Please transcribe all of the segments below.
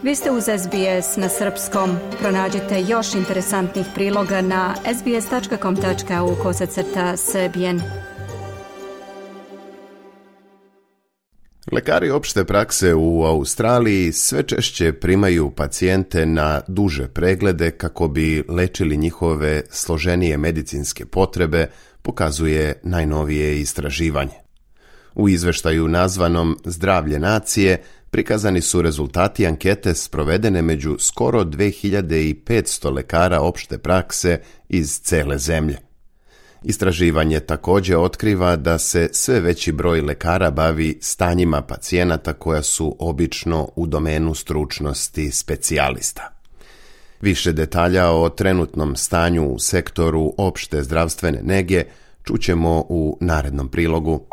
Vi ste uz SBS na srpskom. Pronađite još interesantnih priloga na sbs.com.au/srbijen. Lekari opšte prakse u Australiji sve češće primaju pacijente na duže preglede kako bi lečili njihove složenije medicinske potrebe, pokazuje najnovije istraživanje. U izveštaju nazvanom Zdravlje nacije prikazani su rezultati ankete sprovedene među skoro 2500 lekara opšte prakse iz cele zemlje. Istraživanje također otkriva da se sve veći broj lekara bavi stanjima pacijenata koja su obično u domenu stručnosti specijalista. Više detalja o trenutnom stanju u sektoru opšte zdravstvene nege čućemo u narednom prilogu.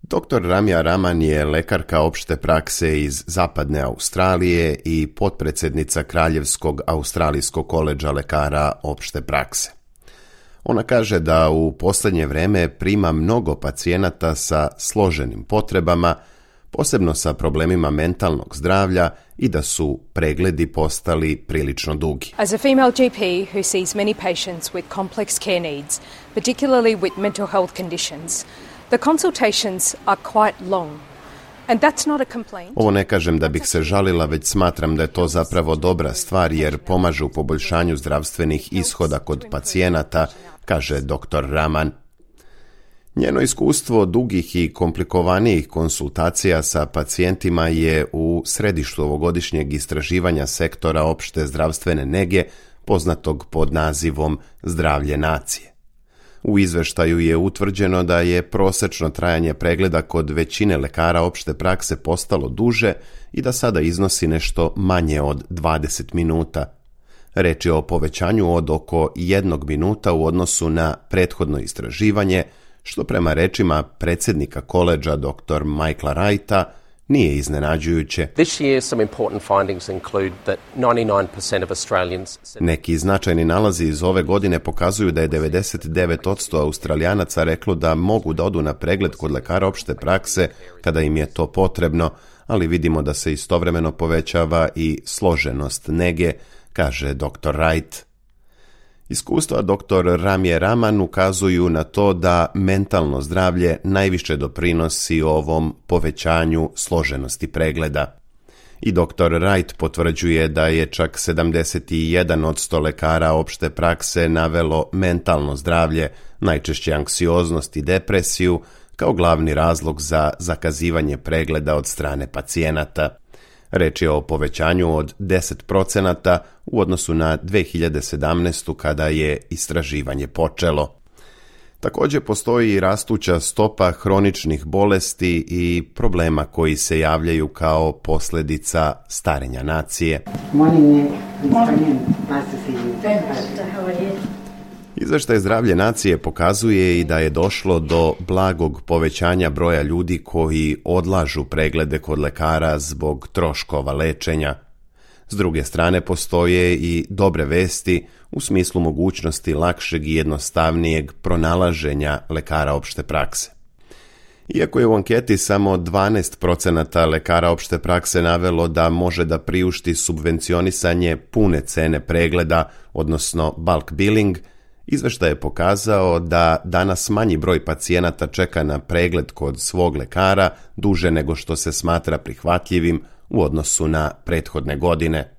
Dr. Ramia Raman je lekarka opšte prakse iz zapadne Australije i potpredsjednica Kraljevskog australijskog koledža lekara opšte prakse. Ona kaže da u posljednje vreme prima mnogo pacijenata sa složenim potrebama, posebno sa problemima mentalnog zdravlja i da su pregledi postali prilično dugi. As a female GP who sees many patients with complex care needs, particularly with mental health conditions, the consultations are quite long. And that's not a complaint. Ovo ne kažem da bih se žalila, već smatram da je to zapravo dobra stvar jer pomaže u poboljšanju zdravstvenih ishoda kod pacijenata, kaže dr. Raman. Njeno iskustvo dugih i komplikovanijih konsultacija sa pacijentima je u središtu ovogodišnjeg istraživanja sektora opšte zdravstvene nege, poznatog pod nazivom Zdravlje nacije. U izveštaju je utvrđeno da je prosečno trajanje pregleda kod većine lekara opšte prakse postalo duže i da sada iznosi nešto manje od 20 minuta. Reč je o povećanju od oko 1 minuta u odnosu na prethodno istraživanje, što prema rečima predsjednika koledža dr. Michaela Wrighta nije iznenađujuće. This year some important findings include that 99% of Australians... Neki značajni nalazi iz ove godine pokazuju da je 99% Australijanaca reklo da mogu da odu na pregled kod lekara opšte prakse kada im je to potrebno, ali vidimo da se istovremeno povećava i složenost nege, kaže dr. Wright. Iskustva dr. Ramie Raman ukazuju na to da mentalno zdravlje najviše doprinosi ovom povećanju složenosti pregleda. I dr. Wright potvrđuje da je čak 71% lekara opšte prakse navelo mentalno zdravlje, najčešće anksioznost i depresiju, kao glavni razlog za zakazivanje pregleda od strane pacijenata. Reč je o povećanju od 10% u odnosu na 2017. kada je istraživanje počelo. Također postoji i rastuća stopa hroničnih bolesti i problema koji se javljaju kao posljedica starenja nacije. Izveštaj Zdravlje nacije pokazuje i da je došlo do blagog povećanja broja ljudi koji odlažu preglede kod lekara zbog troškova lečenja. S druge strane postoje i dobre vesti u smislu mogućnosti lakšeg i jednostavnijeg pronalaženja lekara opšte prakse. Iako je u anketi samo 12% lekara opšte prakse navelo da može da priušti subvencionisanje pune cene pregleda, odnosno bulk billing, izveštaj je pokazao da danas manji broj pacijenata čeka na pregled kod svog lekara duže nego što se smatra prihvatljivim u odnosu na prethodne godine.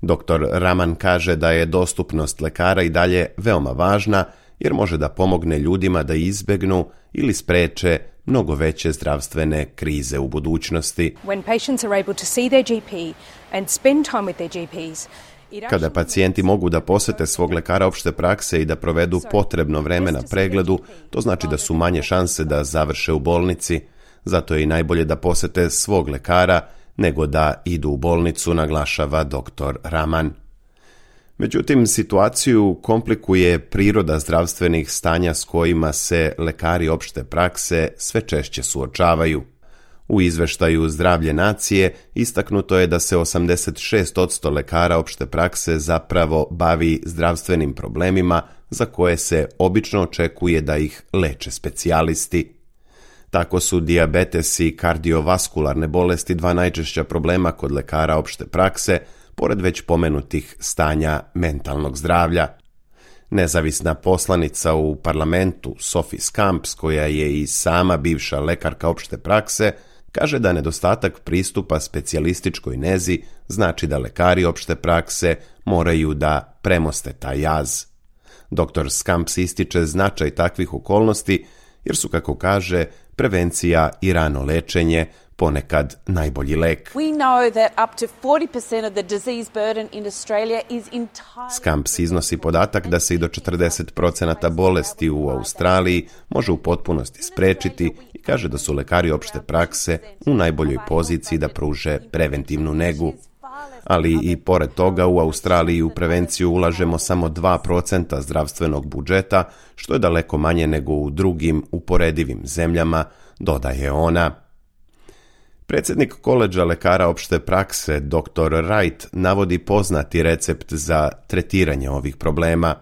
Dr. Raman kaže da je dostupnost lekara i dalje veoma važna jer može da pomogne ljudima da izbegnu ili spreče mnogo veće zdravstvene krize u budućnosti. When patients are able to see their GP and spend time with their GPs, kada pacijenti mogu da posete svog lekara opšte prakse i da provedu potrebno vreme na pregledu, to znači da su manje šanse da završe u bolnici. Zato je i najbolje da posete svog lekara nego da idu u bolnicu, naglašava dr. Raman. Međutim, situaciju komplikuje priroda zdravstvenih stanja s kojima se lekari opšte prakse sve češće suočavaju. U izveštaju Zdravlje nacije istaknuto je da se 86% lekara opšte prakse zapravo bavi zdravstvenim problemima za koje se obično očekuje da ih leče specijalisti. Tako su dijabetes i kardiovaskularne bolesti dva najčešća problema kod lekara opšte prakse, pored već pomenutih stanja mentalnog zdravlja. Nezavisna poslanica u parlamentu Sophie Scamps, koja je i sama bivša lekarka opšte prakse, kaže da nedostatak pristupa specijalističkoj nezi znači da lekari opšte prakse moraju da premoste taj jaz. Dr. Scamps ističe značaj takvih okolnosti jer su, kako kaže, prevencija i rano lečenje ponekad najbolji lek. Scamps iznosi podatak da se i do 40% bolesti u Australiji može u potpunosti sprečiti i kaže da su lekari opšte prakse u najboljoj poziciji da pruže preventivnu negu. Ali i pored toga u Australiji u prevenciju ulažemo samo 2% zdravstvenog budžeta, što je daleko manje nego u drugim uporedivim zemljama, dodaje ona. Predsjednik koledža lekara opšte prakse, dr. Wright, navodi poznati recept za tretiranje ovih problema.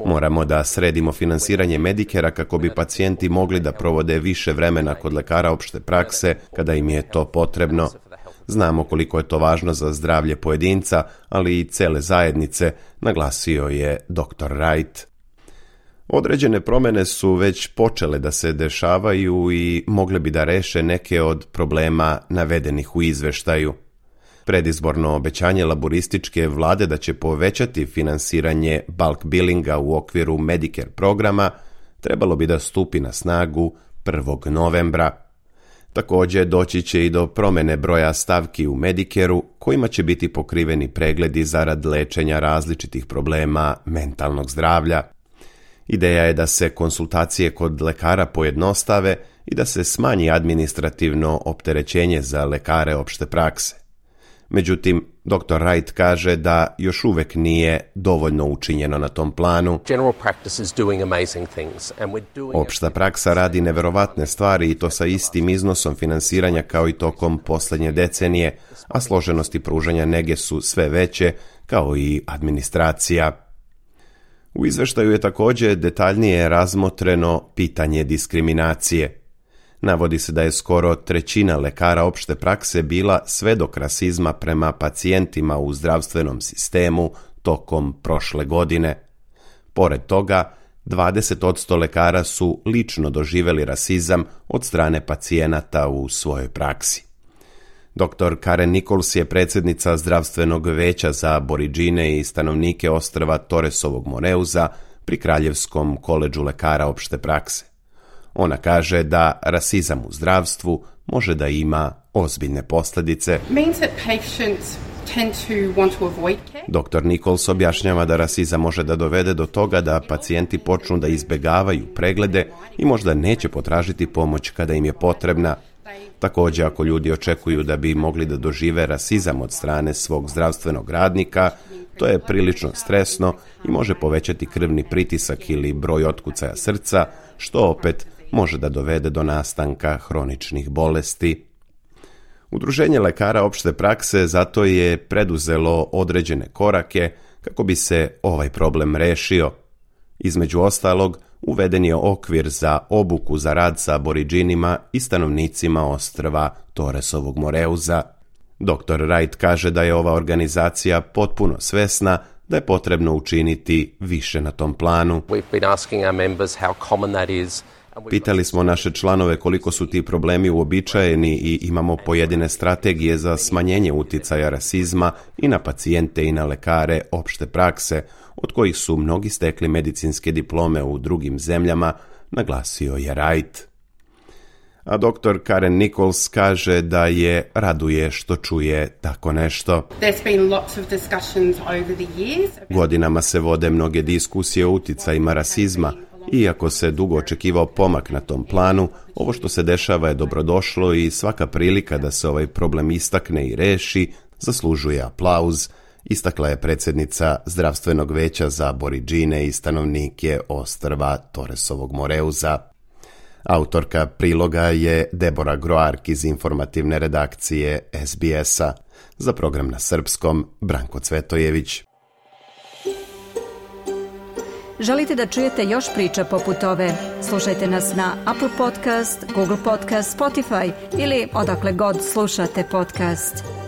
Moramo da sredimo finansiranje Medicare-a kako bi pacijenti mogli da provode više vremena kod lekara opšte prakse kada im je to potrebno. Znamo koliko je to važno za zdravlje pojedinca, ali i cele zajednice, naglasio je dr. Wright. Određene promjene su već počele da se dešavaju i mogle bi da reše neke od problema navedenih u izveštaju. Predizborno obećanje laborističke vlade da će povećati finansiranje bulk billinga u okviru Medicare programa trebalo bi da stupi na snagu 1. novembra. Također doći će i do promjene broja stavki u Medicare-u kojima će biti pokriveni pregledi zarad lečenja različitih problema mentalnog zdravlja. Ideja je da se konsultacije kod lekara pojednostave i da se smanji administrativno opterećenje za lekare opšte prakse. Međutim, dr. Wright kaže da još uvek nije dovoljno učinjeno na tom planu. Opšta praksa radi neverovatne stvari i to sa istim iznosom finansiranja kao i tokom posljednje decenije, a složenosti pružanja nege su sve veće kao i administracija. U izveštaju je također detaljnije razmotreno pitanje diskriminacije. Navodi se da je skoro 1/3 lekara opšte prakse bila svedok rasizma prema pacijentima u zdravstvenom sistemu tokom prošle godine. Pored toga, 20% lekara su lično doživjeli rasizam od strane pacijenata u svojoj praksi. Dr. Karen Nichols je predsjednica zdravstvenog veća za Aboriđine i stanovnike ostrva Torresovog Moreuza pri Kraljevskom koledžu lekara opšte prakse. Ona kaže da rasizam u zdravstvu može da ima ozbiljne posljedice. Dr. Nichols objašnjava da rasizam može da dovede do toga da pacijenti počnu da izbegavaju preglede i možda neće potražiti pomoć kada im je potrebna. Također, ako ljudi očekuju da bi mogli da dožive rasizam od strane svog zdravstvenog radnika, to je prilično stresno i može povećati krvni pritisak ili broj otkucaja srca, što opet može da dovede do nastanka hroničnih bolesti. Udruženje lekara opšte prakse zato je preduzelo određene korake kako bi se ovaj problem rešio. Između ostalog, uveden je okvir za obuku za rad sa aboriđinima i stanovnicima ostrva Torresovog Moreuza. Dr. Wright kaže da je ova organizacija potpuno svesna da je potrebno učiniti više na tom planu. Pitali smo naše članove koliko su ti problemi uobičajeni i imamo pojedine strategije za smanjenje uticaja rasizma i na pacijente i na lekare opšte prakse, od kojih su mnogi stekli medicinske diplome u drugim zemljama, naglasio je Wright. A dr. Karen Nichols kaže da je raduje što čuje tako nešto. Godinama se vode mnoge diskusije o uticajima rasizma. Iako se dugo očekivao pomak na tom planu, ovo što se dešava je dobrodošlo i svaka prilika da se ovaj problem istakne i reši zaslužuje aplauz, istakla je predsjednica zdravstvenog veća za Aboriđine i stanovnike ostrva Torresovog Moreuza. Autorka priloga je Debora Groark iz informativne redakcije SBS-a. Za program na srpskom, Branko Cvetojević. Želite da čujete još priča poput ove? Slušajte nas na Apple Podcast, Google Podcast, Spotify ili odakle god slušate podcast.